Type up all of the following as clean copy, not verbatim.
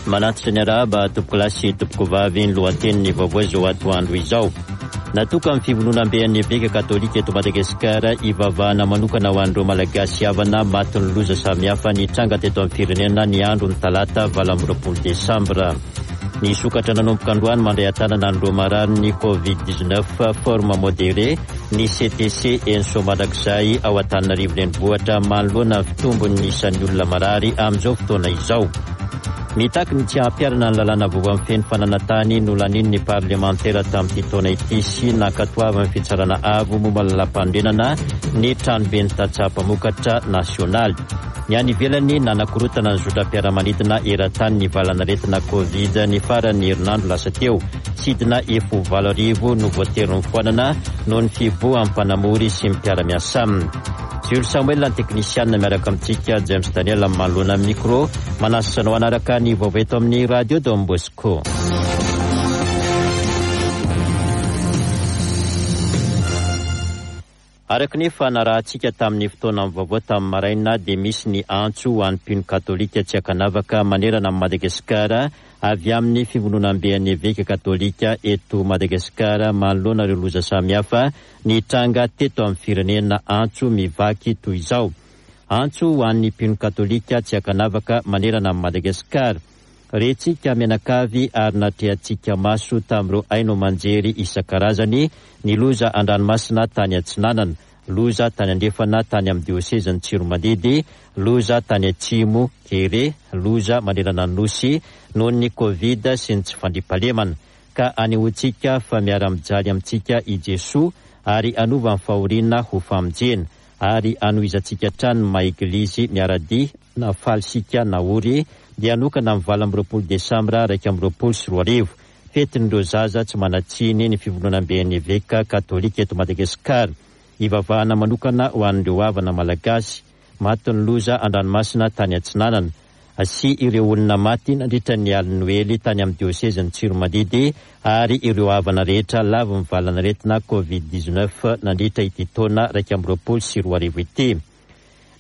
Manatitra ny arahaba tompokolahy sy tompokovavy ny lohatenin'ny vaovao izao atoandro izao. Natokan'ny fivondronamben'ny Eveka Katolika eto Madagasikara hivavahana manokana ho an'ireo Malagasy havana matin'ny loza samihafa nitranga teto amin'ny firenena ny andron'ny talata 28 desambra. Nisokatra nanomboka androany mandray an-tanana an'ireo mararin'ny Covid 19 forme modérée ny CTC eny Soamandrakizay ao Antananarivo Renivohitra manoloana ny fitombon'ny isan'ny olona marary amin'izao fotoana izao. Mitaky ny tsy hampiharana ny lalàna vaovao mifehy ny fananantany nolanian'ny parlemantera tamin'ity taona ity sy nankatoavin'ny fitsarana avo momba ny lalàmpanorenana ny tranoben'ny tantsaha mpamokatra nasionaly. Ny any ivelany, nanakorontana ny zotram-piaramanidina eran-tany ny valanaretina Covid ny faran'ny herinandro lasa teo. Sidina efa ho 8000 no voatery nofoanana noho ny fihibohan'ny mpanamory sy ny mpiara-miasa aminy. Jules Samuel ny teknisianina miaraka amintsika, James Daniel amin'ny manoloana ny micro. Manasa anao hanaraka ny vaovao eto amin'ny Radio Don Bosco. Araka ny efa narahantsika tamin'ny fotoanan'ny vaovao tamin'ny maraina dia misy ny antso ho an'ny mpino katolika tsy ankanavaka manerana an'i Madagasikara avy amin'ny Fivondronamben'ny Eveka Katolika eto Madagasikara manoloana ireo loza samihafa nitranga teto amin'ny firenena antso mivaky toy izao Antso ho an'ny mpino katolika tsy ankanavaka manerana an'i Madagasikara Rentsika mianakavy ary natrehantsika maso tamin'ireo haino aman-jery isan-karazany ny loza an-dranomasina tany atsinanana, loza tany andrefana tany amin'ny diosezin'i Tsiromandidy, loza tany atsimo, kere, loza manerana ny Nosy noho ny Covid sy ny tsy fandriampahalemana. Ka anehoantsika fa miara-mijaly amintsika i Jesoa ary hanova ny fahoriana ho famonjena ary hanohizantsika hatrany ny maha Eglizy miara-dia na faly isika na ory dia hanokana amin'ny 28 desambra 2021, fetin'ireo zaza tsy manan-tsiny ny Fivondronamben'ny Eveka Katolika eto Madagasikara. Hivavahana manokana ho an'ireo havana malagasy matin'ny loza an-dranomasina tany Atsinanana sy ireo olona maty nandritra ny alin'ny Noely tany amin'ny diosezin'i Tsiromandidy ary ireo havana rehetra lavon'ny valan'aretina Covid 19 nandritra ity taona 2021 ity.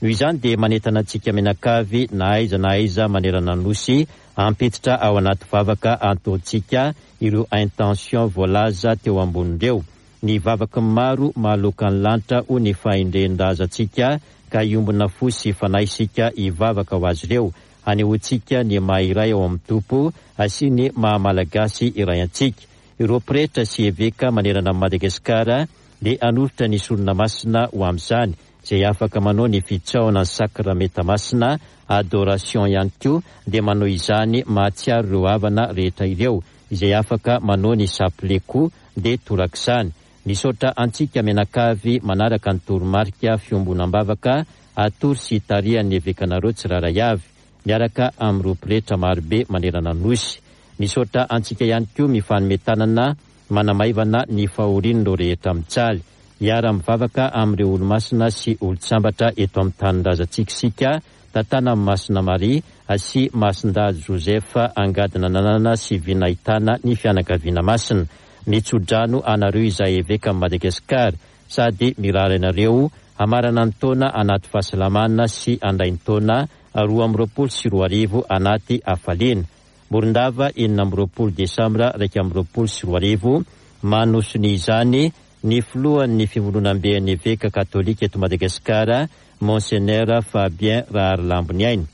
Noho izany dia manentana antsika mianakavy na aiza na aiza manerana ny Nosy hampiditra ao anaty vavaka antontsika ireo intention voalaza teo ambony ireo. Ny vavaky ny maro mahaloaka ny lanitra hoy ny fahendren-drazantsika ka hiombona fo sy fanahy isika hivavaka ho azy ireo. Hanehoantsika ny maha iray ao amin'ny Tompo sy ny maha Malagasy iray antsika. Ireo pretra sy eveka manerana an'i Madagasikara dia hanolotra ny sorona masina ho amin'izany. Izay afaka manao ny fitsaohana ny sakramenta masina, adoration, ihany koa dia manao izany mahatsiaro ireo havana rehetra ireo. Izay afaka manao ny chapelet koa dia torak'izany. Misaotra antsika mianakavy manaraka ny toromarika fiombonam-bavaka atoro sy tarihan'ny evekanareo tsirairay avy, miaraka amin'ireo pretra marobe manerana ny Nosy. Misaotra antsika ihany koa mifanome tanana manamaivana ny fahorian'ireo rehetra mijaly. Hiara-mivavaka amin'ireo olomasina sy olon-tsambatra eto amin'ny tanindrazantsika isika, tantanan'i Masina Maria sy Masindahy Joseph angadina nanana sy vy nahitana ny fianakaviana masina. Mitso-drano anareo izahay Evekan'i Madagasikara sady mirary anareo hamarana ny taona anaty fahasalamana sy handray ny taona 2022 anaty hafaliana. Morondava, 26 desambra 2021, Manosonia izany ny filohan'ny Fivondronamben'ny Eveka Katolika eto Madagasikara, Monsenera Fabien Raharilamboniaina.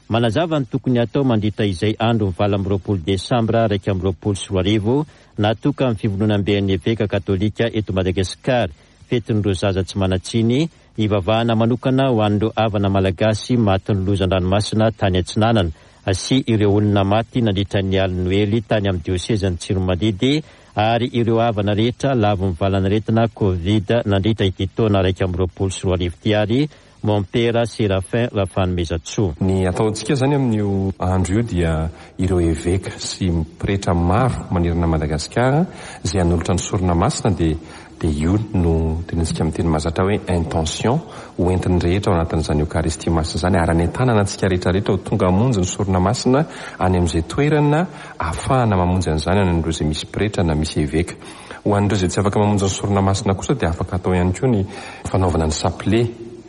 Manazava ny tokony hatao mandritra izay andron'ny 28 desambra 2021 natokan'ny Fivondronamben'ny Eveka Katolika eto Madagasikara, fetin'ireo zaza tsy manan-tsiny, Hivavahana manokana ho an'ireo havana malagasy matin'ny loza an-dranomasina tany Atsinanana sy ireo olona maty nandritra ny alin'ny Noely tany amin'ny diosezin'i Tsiromandidy ary ireo havana rehetra lavon'ny valanaretina Covid nandritra ity taona 2021 ity ary Mompera Séraphin Rafanomezantsoa. Ny ataontsika izany amin'io andro io dia ireo eveka sy pretra maro manerana an'i Madagasikara izay hanolotra ny sorona masina dia Dia io no tenenintsika amin'ny teny mahazatra hoe intention ho entin'ny rehetra ao anatin'izany Eokaristia Masina izany ary hanentanana antsika rehetra rehetra ho tonga hamonjy ny sorona masina any amin'izay toerana ahafahana mamonjy an'izany any amin'ireo izay misy pretra na misy eveka. Ho an'ireo izay tsy afaka mamonjy ny sorona masina kosa dia afaka atao ihany koa ny fanaovana ny sapile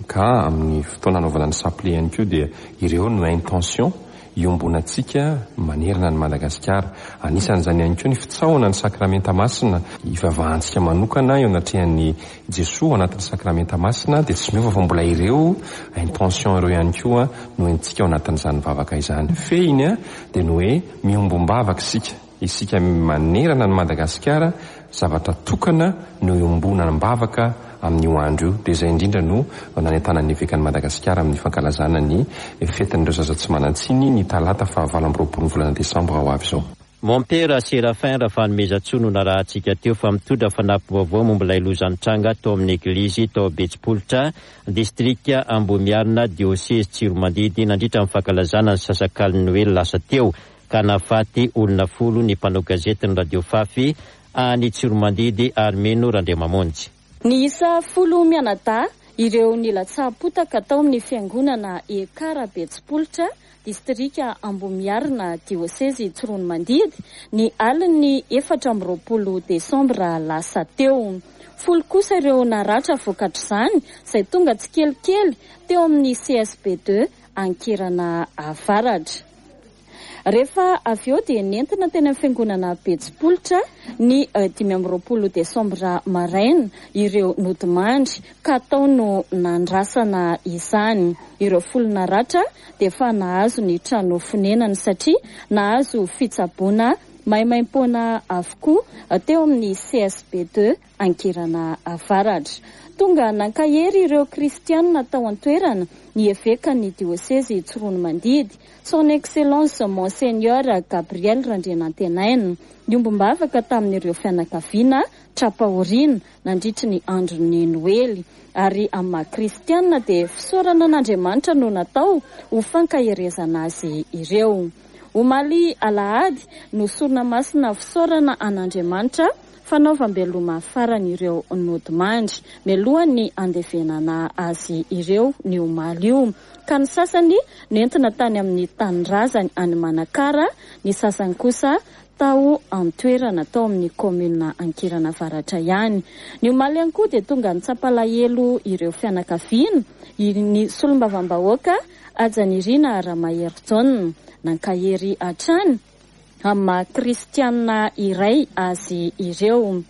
ka amin'ny fotoana hanaovana ny sapile ihany koa dia ireo no intention. iombonantsika manerana an'i Madagasikara. Anisan'izany ihany koa ny fitsaohana ny Sakramenta Masina, ivavahantsika manokana eo anatrehan'i Jesoa ao anatin'ny Sakramenta Masina, dia tsy miova fa mbola ireo intention ireo ihany koa no entintsika ao anatin'izany vavaka izany. Fehiny dia ny hoe miombom-bavaka isika, isika manerana an'i Madagasikara, zavatra tokana no iombonam-bavaka amin'io andro io. Dia izay indrindra no nanentanan'ny Evekan'i Madagasikara amin'ny fankalazana ny fetin'ireo zaza tsy manan-tsiny ny talata faha 28 ny volana desambra ho avy izao. Mompera Séraphin Rafanomezantsoa no narahantsika teo fa mitondra fanampim-baovao momba ilay loza nitranga tao amin'ny eglizy tao Betsipolotra, distrika Ambohimiarina, diosezy Tsiromandidy nandritra ny fankalazana ny sasakalin'ny Noely lasa teo ka nahafaty olona folo ny mpanao gazetin'ny Radio Fafy any Tsiromandidy Armeno Randriamamonjy. Niisa folo mianadahy ireo nilatsaham-potaka tao amin'ny fiangonana Ekar Betsipolotra, distrika Ambohimiarina, diosezy Tsiroanomandidy, ny alin'ny 24 desambra lasa teo. Folo kosa ireo naratra vokatr'izany, izay tonga tsikelikely teo amin'ny CSB ii Ankerana Avaratra. Rehefa avy eo dia nentina teny amin'ny fiangonana Betsipolotra ny 25 desambra maraina ireo nodimandry ka tao no nandrasana izany. Ireo folo naratra dia efa nahazo ny trano fonenany satria nahazo fitsaboana maimaimpoana avokoa teo amin'ny CSB ii Ankerana Avaratra. Tonga nankahery ireo kristianina tao an-toerana ny evekan'ny diosezy Tsiroanomandidy, Son Excellence Monseigneur Gabriel Randrianantenaina, niombom-bavaka tamin'ireo fianakaviana tra-pahoriana nandritry ny andron'ny Noely. Ary amin'ny maha kristianina dia fisaorana an'Andriamanitra no natao ho fankaherezana azy ireo. Omaly alahady no sorona masina fisaorana an'Andriamanitra fanaovam-beloma farany ireo nodimandry, mialohan'ny handevenana azy ireo ny omaly io. Ka ny sasany nentina tany amin'ny tanindrazany any Manakara, ny sasany kosa tao an-toerana tao amin'ny kaominina Ankirana Avaratra ihany. Ny omaly ihany koa dia tonga nitsapalahelo ireo fianakaviana, ny solombavambahoaka Hajanirina Ramaherijaona, nankahery hatrany amin'ny maha kristianina iray azy ireo.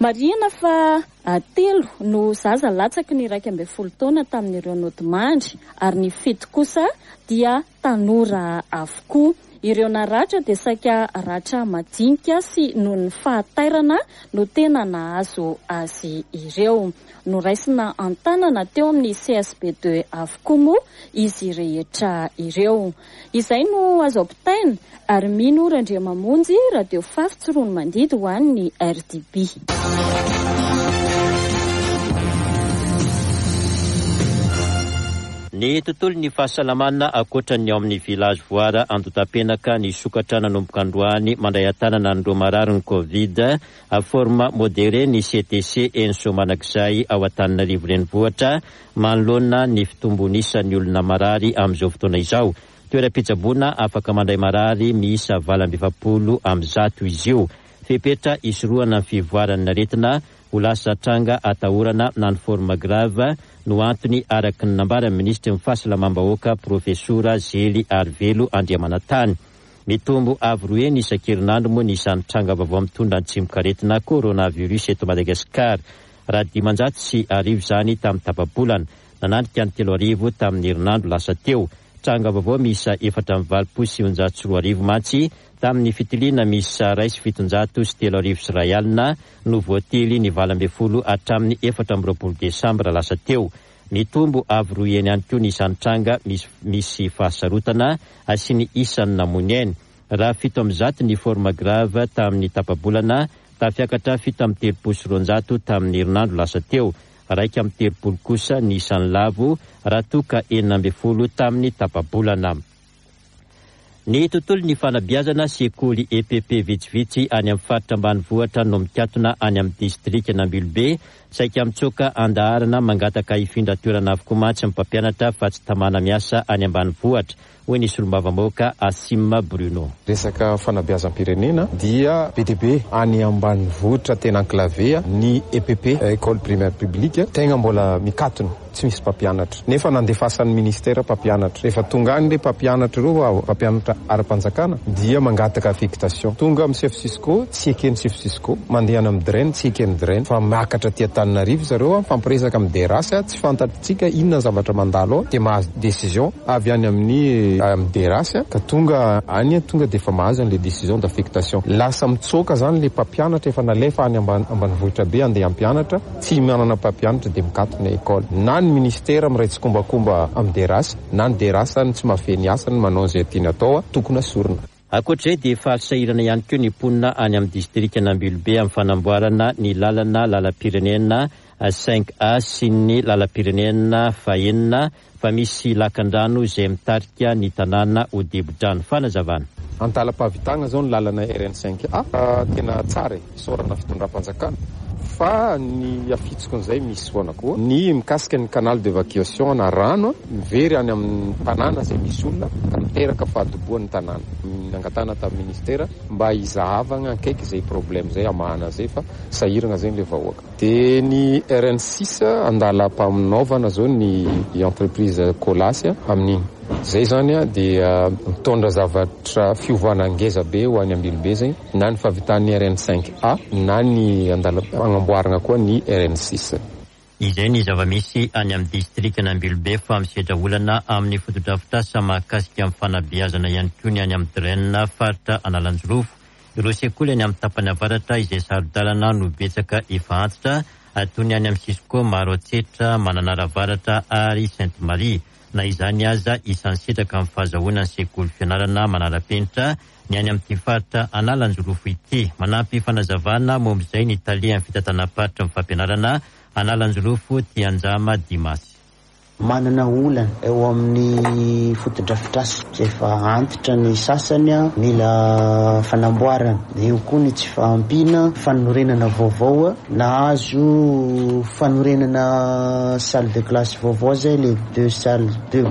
Marihina fa telo no zaza latsaky ny 11 taona tamin'ireo nodimandry ary ny fito kosa dia tanora avokoa. Ireo naratra dia saika ratra madinika sy noho ny fahatairana no tena nahazo azy ireo. Noraisina an-tanana teo amin'ny CSB ii avokoa moa izy rehetra ireo. Izay no azo ampitaina ary mino Randriamamonjy Radio Fafy Tsiroanomandidy ho an'ny RDB. Ny tontolon'ny fahasalamana ankoatra ny ao amin'ny Village Voara Andotapenaka nisokatra nanomboka androany mandray an-tanana an'ireo mararin'ny Covid forme modérée ny CTC eny Soamanakizay ao Antananarivo Renivohitra manoloana ny fitombon'isan'ny olona marary amin'izao fotoana izao. Toeram-pitsaboana afaka mandray marary miisa 148 izy io. Fepetra hisorohana ny fivoaran'ny aretina ho lasa tranga atahorana na ny forme grave no antony araka ny nambaran'ny minisitry ny Fahasalamam-bahoaka Profesora Zely Arivelo Andriamanantany. Mitombo avo roa heny isan-kerinandro moa ny isan'ny tranga vaovao mitondra ny tsimokaretina coronavirus eto Madagasikara. Raha 1500 izany tamin'ny tapa-bolana, nananika ny 3000 tamin'ny herinandro lasa teo. Tranga vaovao miisa 1984 mantsy tamin'ny fitiliana miisa 3701 no voatily ny 18 hatramin'ny 24 desambra lasa teo. Mitombo avo roa heny ihany koa ny isan'ny tranga misy misy fahasarotana sy ny isan'ny namoy ny ainy. Raha 107 ny forme grave tamin'ny tapa-bolana, tafiakatra 237 tamin'ny herinandro lasa teo. 31 kosa ny isan'ny lavo raha toa ka 16 tamin'ny tapa-bolana. Ny tontolon'ny fanabeazana, sekoly EPP vitsivitsy any amin'ny faritra ambanivohitra no mikatona any amin'ny distrikan'Ambilobe. Saika mitsoaka an-daharana mangataka hifindra toerana avokoa mantsy ny mpampianatra fa tsy tamana miasa any ambanivohitra, hoy ny solombavambahoaka Asim Bruno. Resaka fanabeazam-pirenena dia be dia be any ambanivohitra tena enclavé ny EPP, Ecole Primaire Publique, tegna mbola mikatona, tsy misy mpampianatra. Nefa nandefasan'ny ministera mpampianatra. Rehefa tonga any le mpampianatra ireo, mpampianatra ara-panjakana, dia mangataka affectation. Tonga amin'ny chef Cisco, tsy eken'ny chef Cisco. Mandeha any amin'ny DREN, tsy eken'ny DREN. Fa miakatra aty Antananarivo zareo, mifampiresaka amin'ny DRH, tsy fantatsika inona ny zavatra mandalo ao, dia mahazo décision avy any amin'ny amin'ny DRH, ka tonga any, tonga dia efa mahazo an'ilay décision d'affectation. Lasa mitsoaka zany ilay mpampianatra efa nalefa any ambanivohitra be handeha hampianatra, Tsy manana mpampianatra dia mikatona école. Na ny ministera miray tsikombakomba amin'ny DRH, na ny DRH no tsy mahafehy ny asany manao izay tiany atao, tokony asorina. Ankoatra izay dia efa sahirana ihany koa ny mponina any amin'ny distrikan'Ambilobe amin'ny fanamboarana ny lalana lalam-pirenena cinq A sy ny lalam-pirenena fahenina fa misy lakan-drano izay mitarika ny tanàna ho dibo-drano. Fanazavana. Andalam-pahavitagna zao ny lalana RN cinq A, tena tsara e, isaorana fitondram-panjakana, fa ny afitsokon'izay misy foana koa ny mikasika ny canal d'evacuation na rano mivery any amin'ny tanàna izay misy olona ka miteraka fahadobohan'ny tanàna. Nangatahana tamin'ny ministera mba hizahavagna akaiky izay problème izay hamahana an'izay fa sahiragna zegny le vahoaka. Dia ny RN six andalam-panaovana zao ny entreprise Colas amin'iny. Zay zany dia mitondra zavatra fiovana ngeza be ho any Ambilobe zay na ny fahavitan'ny RN cinq A na ny andalam-pagnamboarana koa ny RN six. Izay ny zava-misy any amin'ny distrikan'Ambilobe fa misedra olana amin'ny fotodrafitrasa mahakasika ny fanabeazana ihany koa ny any amin'ny DREN faritra Analanjirofo. Ireo sekoly any amin'ny tapany avaratra izay saro-dalana no betsaka efa antitra, toy ny any amin'ny Cisco, Maroantsetra, Mananara Avaratra ary Sainte Marie. Na izany aza, isan'ny sitraka amin'ny fahazahoana ny sekoly fianarana manara-penitra ny any amin'ity faritra Analanjirofo ity. Manampy fanazavana momba izay ny talehan'ny fitantanam-paritry ny fampianarana Analanjirofo, Tianjama Dimasy. Manana olana eo amin'ny fotodrafitrasa izay efa antitra ny sasany, mila fanamboarana. Eo koa ny tsy fahampiana fanorenana vaovao. Nahazo fanorenana salle de classe vaovao izay, les deux salles, deux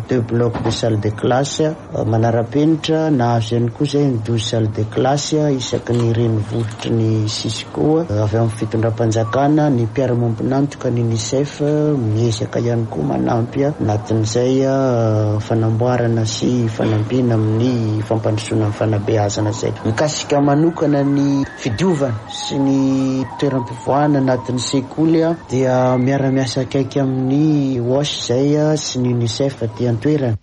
deux blocs de salle de classe. Manara-penitra, nahazo ihany koa izay ny 12 salles de classe isaky ny renivohitry ny Cisco avy amin'ny fitondram-panjakana, ny mpiara-miombon'antoka, ny Unicef miezaka ihany koa manampy anatin'izay fanamboarana sy fanampiana amin'ny fampandrosoana ny fanabeazana izay. Mikasika manokana ny fidiovana sy ny toeram-pivoahana anatin'ny sekoly dia miara-miasa akaiky amin'ny WASH izay sy ny Unicef aty an-toerana.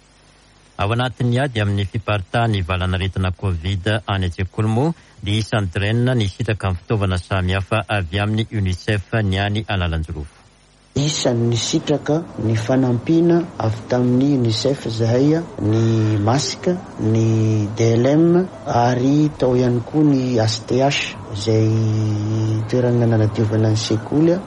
Ao anatin'ny ady amin'ny fiparitahan'ny valanaretina Covid any an-tsekoly moa dia isan'ny DREN nisitraka ny fitaovana samihafa avy amin'ny Unicef ny any Analanjirofo. Isan'ny nisitraka ny fanampiana avy tamin'ny Unicef izahay, ny masque, ny DLM ary tao ihany koa ny HTH izay toerana nanadiovana ny sekoly.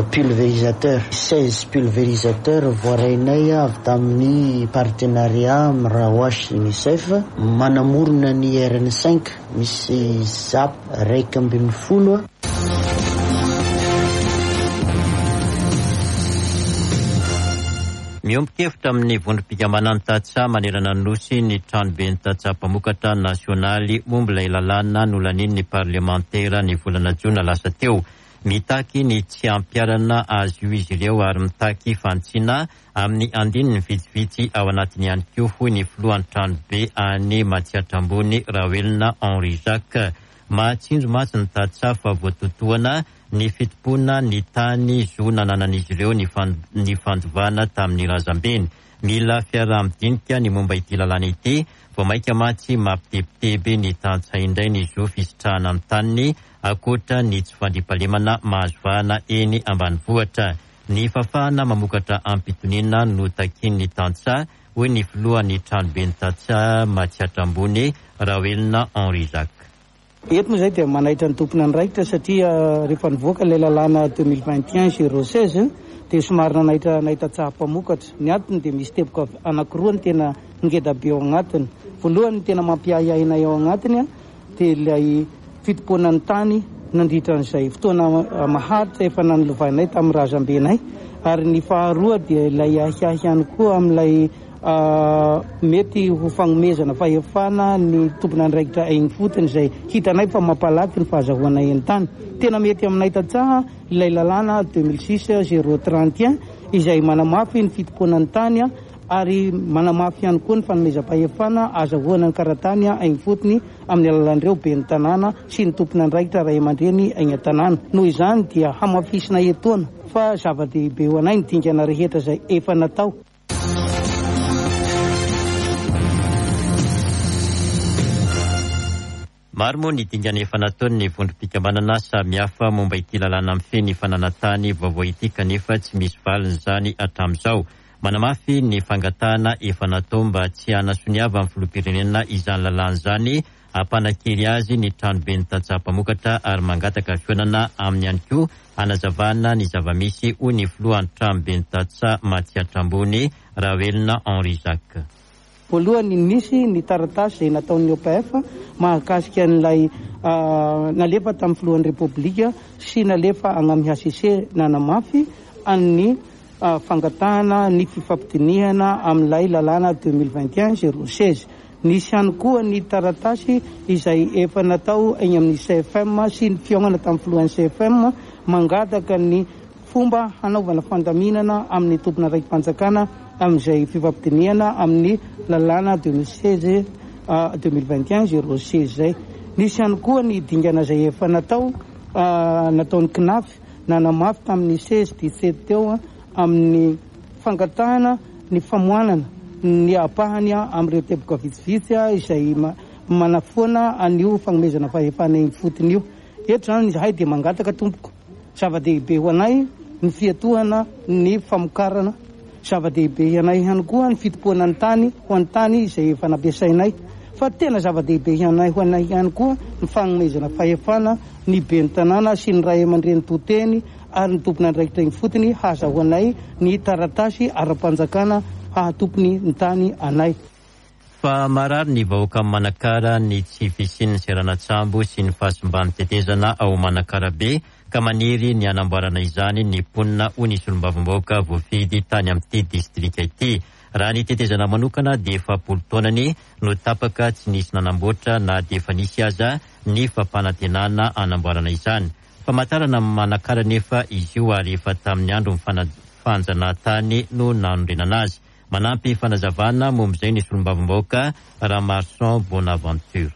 Pulvérisateur, 16 pulvérisateur voarainay avy tamin'ny partenariat amin'ny Rawash Unicef, manamorona ny RN cinq misy zap 11. Miombon-kevitra amin'ny vondrom-pikambanan'ny tantsaha manerana ny Nosy ny Tranoben'ny tantsaha mpamokatra nasionaly momba ilay lalàna nolanian'ny parlemantera ny volana jona lasa teo. Mitaky ny tsy hampiharana azy io izy ireo ary mitaky fanitsiana amin'ny andininy vitsivitsy ao anatiny ihany koa, hoy ny filohan'ny tranobe any Matsiatra Ambony, Raoelina Henri Jacques. Mahatsinjo mantsy ny tantsaha fa voatotohana ny fitompoana ny tany zo nananan'izy ireo ny fandovana tamin'ny razambeny. Mila fiaraha-midinika ny momba ity lalàna ity, vao mainka mantsy mampitebiteby ny tantsaha indray ny zo fisitrahana ny taniny ankoatra ny tsy fandriampahalemana mahazo vahana eny ambanivohitra. Ny fahafahana mamokatra amim-pitoniana no takian'ny tantsaha, hoy ny filohan'ny Tranoben'ny tantsaha Matsiatra Ambony, Raoelina Henri Jacques. Eto moa izay dia manaitra ny tompon'andraikitra satria rehefa nivoaka ilay lalàna 2021 016 dia somary nanaitra anay tantsaha mpamokatra. Ny antony dia misy teboka anankiroa ny tena ngeda be ao agnatiny. Voalohany ny tena mampiahiahy anay ao agnatiny dia ilay fitompoana ny tany nandritra an'izay fotoana maharitra efa nanolovanay tamin'ny razambenay. Ary ny faharoa dia ilay ahiahy ihany koa amin'ilay mety ho fagnomezana fahefana ny tompon'andraikitra eny ifotony izay hitanay fa mampalaky ny fahazahoanay ny tany. Tena mety aminay tantsaha ilay lalàna 2006 031 izay manamafy ny fitompoana ny tany ary manamafy ihany koa ny fanomezam-pahefana azahoana ny karatany eny ifotony amin'ny alalan'ireo ben'ny tanàna sy ny tompon'andraikitra ray aman-dreny eny an-tanàna. Noho izany dia hamafisina etoana fa zava-dehibe ho anay ny dingana rehetra izay efa natao. Maro moa ny dingana efa nataon'ny vondrom-pikambanana samihafa momba ity lalàna mifehy ny fananan-tany vaovao ity kanefa tsy misy valiny izany hatramin'izao. Manamafy ny fangatahana efa natao mba tsy hanasoniavan'ny filoham-pirenena izany lalàna izany hampanan-kery azy ny tranoben'ny tantsaha mpamokatra ary mangataka fihaonana aminy ihany koa hanazavana ny zava-misy, hoy ny filohan'ny tranoben'ny tantsaha Matsiatra Ambony, Rahoelina Henri Jacques. Voalohany, nisy ny taratasy izay nataon'ny OPF mahakasika an'ilay nalefa tamin'ny filohan'ny Repoblika sy nalefa agny amin'ny hcc nanamafy an'ny fangatahana ny fifampidinihana amin'ilay lalàna 2021 016. Nisy ihany koa ny taratasy izay efa natao eny amin'ny CFM sy ny fihaonana tamin'ny filohan'ny CFM mangataka ny fomba hanaovana fandaminana amin'ny tompon'andraiki-panjakana amin'izay fifampidinihana amin'ny lalàna 2016 2021 016 izay. Nisy ihany koa ny dingana izay efa natao nataon'ny CNAF nanamafy tamin'ny 16 17 teo amin'ny fangatahana ny famoanana ny ampahany amin'ireo teboka vitsivitsy izay manafoana an'io fagnomezana fahefana eny ifotony io. Eto izany izahay dia mangataka tompoko, zava-dehibe ho anay ny fiatohana ny famokarana, zava-dehibe anay ihany koa ny fitompoana ny tany ho an'ny tany izay efa nampiasainay, fa tena zava-dehibe ho anay ihany koa ny fagnomezana fahefana ny ben'ny tanàna sy ny ray aman-dreny to teny ary ny tompon'andraikitra ifotony hahazahoanay ny taratasy ara-panjakana hahatompony ny tany anay. Fa marary ny vahoakan'i Manakara ny tsy fisian'ny seranan-tsambo sy ny fahasimban'ny tetezana ao Manakarabe ka maniry ny hanamboarana izany ny mponina hoy ny solombavambahoaka voafidy tany amin'ity distrika ity. Raha ny tetezana manokana dia 40 taonany no tapaka tsy nisy nanamboatra na dia efa nisy aza ny fampanantenana hanamboarana izany. Famantarana Manakara anefa izy io ary efa tamin'ny andron'ny fanjanahantany no nanorenana azy. Manampy fanazavana momba izay ny solombavambahoaka Ramarson Bonaventure.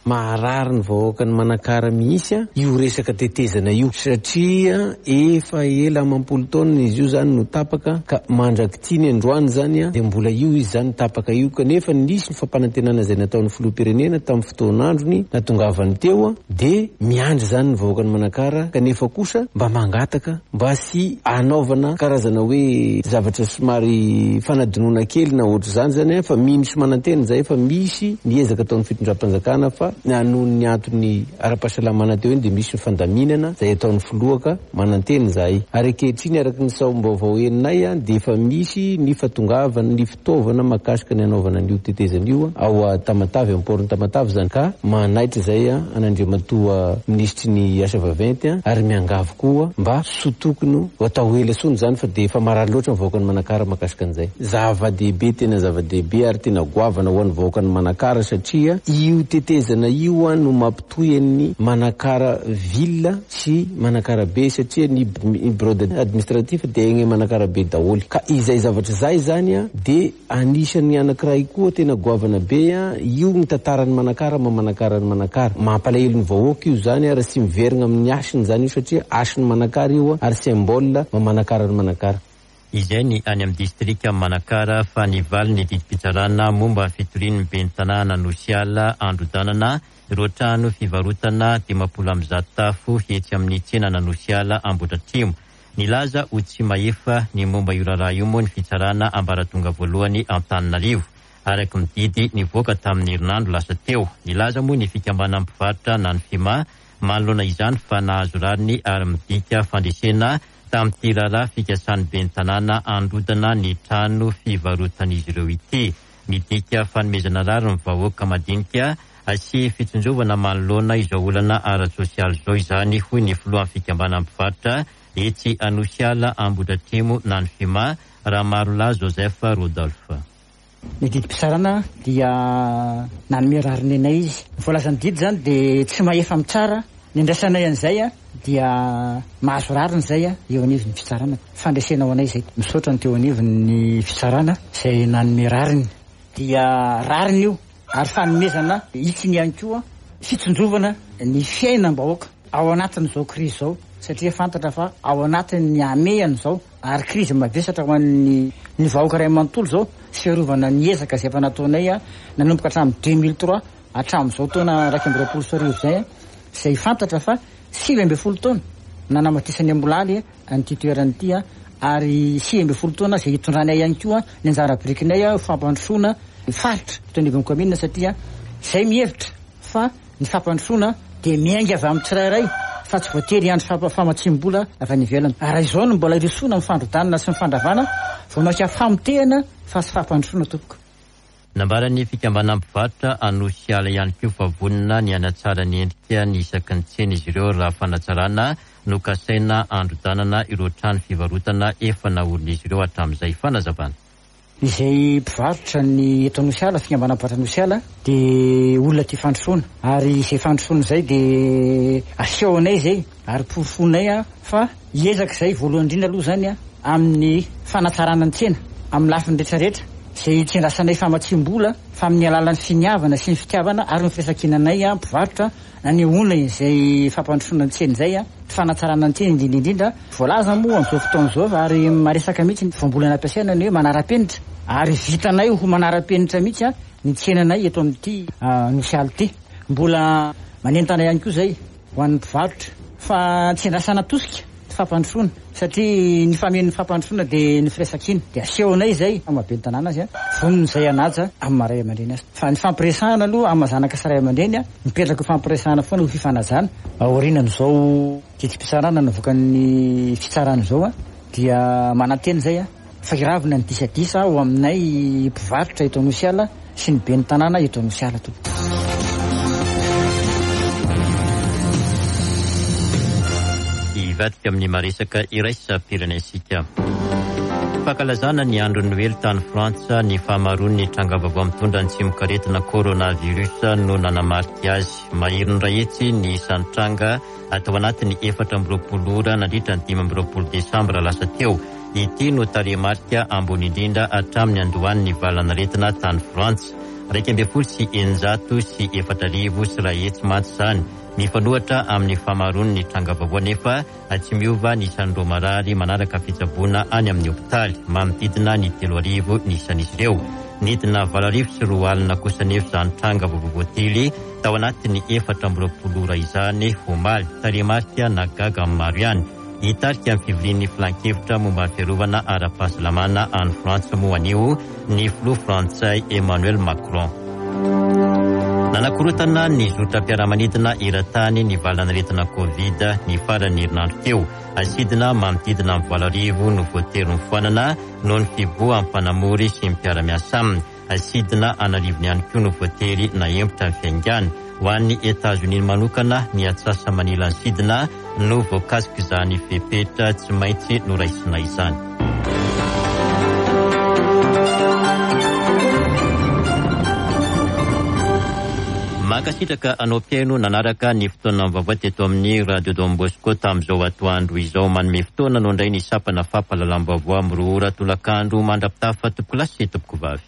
Maharary ny vahoakan'i Manakara mihitsy io resaka tetezana io satria efa ela amam-polo taona izy io izany no tapaka ka mandrak'ity ny androany izany dia mbola io izy izany tapaka io kanefa nisy ny fampanantenana izay nataon'ny filoham-pirenena tamin'ny fotoan'androny natongavany teo dia miandry izany ny vahoakan'i Manakara kanefa kosa mba mangataka mba tsy hanaovana karazana hoe zavatra somary fanadinoana kely na ohatr'izany izany fa mino sy manantena izahay fa misy ny ezaka ataon'ny fitondram-panjakana fa noho ny antony ara-pahasalamana teo iny dia misy ny fandaminana izay ataon'ny filoha ka manantena izahay ary ankehitriny araka ny saom-baovao henonay dia efa misy ny fatongavan'ny fitaovana mahakasika ny hanaovana an'io tetezana io ao Tamatave, amin'ny port-n'i Tamatave izany ka manaitra izay an'Andriamatoa Minisitry ny Asa Vaventy ary miangavy koa mba soa tokony ho atao ela tsony izany fa dia efa marary loatra ny vahoakan'i Manakara mahakasika an'izay. Zava-dehibe, tena zava-dehibe ary tena goavana ho an'ny vahoakan'i Manakara satria io tetezana io no mampitohy an'i Manakara ville sy Manakara be satria ny bureau administratif dia egny Manakara be daholo ka izay zavatra izay zany dia anisan'ny anakiray koa tena goavana be io ny tantaran'i Manakara maha Manakara an'i Manakara. Mampalahelo ny vahoaka io zany ary tsy miverigna amin'ny hasiny zany io satria hasin'i Manakara io ary symbole maha Manakara an'i Manakara. Izay ny any amin'ny distrikan'i Manakara fa ny valin'ny didim-pitsarana momba ny fitorian'ny ben'ny tanàna Anosiala Androdanana ireo trano fivarotana 150 tafo etsy amin'ny tsenan'Anosiala Ambohidratrimo. Nilaza ho tsy mahefa ny momba io raharaha io moa ny fitsarana ambaratonga voalohany Antananarivo, araka ny didy nivoaka tamin'ny herinandro lasa teo. Nilaza moa ny fikambanan'ny mpivarotra na ny Fima manoloana izany fa nahazo rariny ary midika fandresena tamin'ity raharaha fikasan'ny ben'ny tanàna handrodana ny trano fivarotan'izy ireo ity. Midika fanomezana rariny ny vahoaka madinika. sy fitsinjovana manoloana izao olana ara-tsosialy izao izany, hoy ny filohan'ny fikambanan'ny mpivarotra etsy Anosiala Ambohidratrimo na ny Fima, Ramarolahy Joseph Rodolphe. Ny didim-pitsarana dia nanome rariny anay izy. Ny voalazan'ny didy izany dia tsy mahefa mitsara. Ny andraisanay an'izay dia mahazo rariny izay eo anivon'ny fitsarana. Fandresena ho anay izay. Misaotra ny teo anivon'ny fitsarana izay nanome rariny. Dia rariny io ary fanomezana hitsiny ihany koa fitsinjovana ny fiainam-bahoaka ao anatin'izao krizy izao satria fantatra fa ao anatin'ny hamehana izao ary krizy mavesatra ho an'ny ny vahoaka iray manontolo izao sy fiarovana ny ezaka izay efa nataonay nanomboka hatramin'ny 2003 hatramin'izao taona 2021 izay, izay fantatra fa 19 taona nanamatisan'ny Ambohilaly an'ity toerana ity ary 19 taona izay hitondranay ihany koa ny anjara birikinay ho fampandrosoana ny faritra eto anivon'ny kaominina satria izay mihevitra fa ny fampandrosoana dia miainga avy amin'ny tsirairay fa tsy voatery hiandry famatsiam-bola avy any ivelany. Ary raha izao no mbola hirosoana amin'ny fandrodanana sy ny fandravana, vao mainka famotehana fa tsy fampandrosoana tompoko. Nambaran'ny fikambanan'ny mpivarotra Anosiala ihany koa fa vonona ny hanatsara ny endrika ny isaky ny tsena izy ireo raha fanatsarana no kasaina handrodanana ireo trano fivarotana efa naorin'izy ireo hatramin'izay. Fanazavana. Izay mpivarotra ny eto Anosiala, fikambanana mpivarotra Anosiala, dia olona tia fandrosoana ary izay fandrosoana izay dia asehonay izay ary porofoinay fa hiezaka izay voalohany indrindra aloha izany amin'ny fanatsarana ny tsena amin'ny lafiny rehetra rehetra izay tsy andrasanay famatsiam-bola fa amin'ny alalan'ny finiavana sy ny fitiavana ary ny firaisankinanay mpivarotra Nanehoana izay fampandrosoana ny tsena izay, fanatsarana ny tsena indrindra indrindra. Voalaza moa amin'izao fotoana izao fa ary maresaka mihitsy ny voambolana ampiasaina ny hoe manara-penitra ary vitanay ho manara-penitra mihitsy ny tsenanay eto amin'ity Nosy Alo ity. Mbola manentana ihany koa izay ho an'ny mpivarotra fa tsy andrasana tosika. Fampandrosoana satria ny famen'ny fampandrosoana dia ny firaisankina dia asehonay izay amin'ny maha ben'ny tanàna azy vonona izay hanaja amin'ny maha ray aman-dreny azy fa ny fampiresahana aloha amin'ny maha zanaka sy ray aman-dreny mipetraka ho fampiresahana foana ho fifanajana aorianan'izao didim-pitsarana navoakan'ny fitsarana izao dia manantena izay Fa hiravona ny disadisa ao aminay mpivarotra eto Anosiala sy ny ben'ny tanàna eto Anosiala tompoko. Hivadika amin'ny maresaka iraisam-pirenentsika. Fankalazana ny andron'ny Noely tany Frantsa, ny fahamaroan'ny tranga vaovao mitondra ny tsimokaretina coronavirus no nanamarika azy. Maherin'ny iray hetsy ny isan'ny tranga tao anatin'ny 24 ora nandritra ny 25 desambra lasa teo. Ity no tarehimarika ambony indrindra hatramin'ny niandohan'ny valanaretina tany Frantsa. 4116 mantsy izany. Mifanohitra amin'ny fahamaroan'ny tranga vaovao anefa, tsy miova ny isan'ireo marary manaraka fitsaboana any amin'ny hopitaly. Manodidina ny 3000 ny isan'izy ireo. Nidina 2008 kosa anefa izany tranga vaovao voatily tao anatin'ny 24 ora izany omaly. Tarehimarika nahagaga ny maro ihany. Hitarika ny fivorian'ny filankevitra momba ny fiarovana ara-pahasalamana any Frantsa moa anio ny filoha frantsay Emmanuel Macron. Nanakorontana ny zotram-piaramanidina eran-tany ny valanaretina Covid ny faran'ny herinandro teo. Sidina manodidina ny 8000 no voatery nofoanana noho ny fivoahan'ny mpanamory sy ny mpiara-miasa aminy. Sidina an'arivony ihany koa no voatery nahemotra ny fiaingàny. Ho an'i Etazonia manokana, ny atsasa-manilan'ny sidina no voakasik'izany fepetra tsy maintsy noraisina izany. Mankasitraka anao mpihaino nanaraka ny fotoana vaovao teto amin'ny Radio Don Bosco tamin'izao atoandro izao. Manome fotoana anao indray ny sampana fampahalalam-baovao amin'ny 2 ora tolakandro mandra-pitafa tompokolahy sy tompokovavy.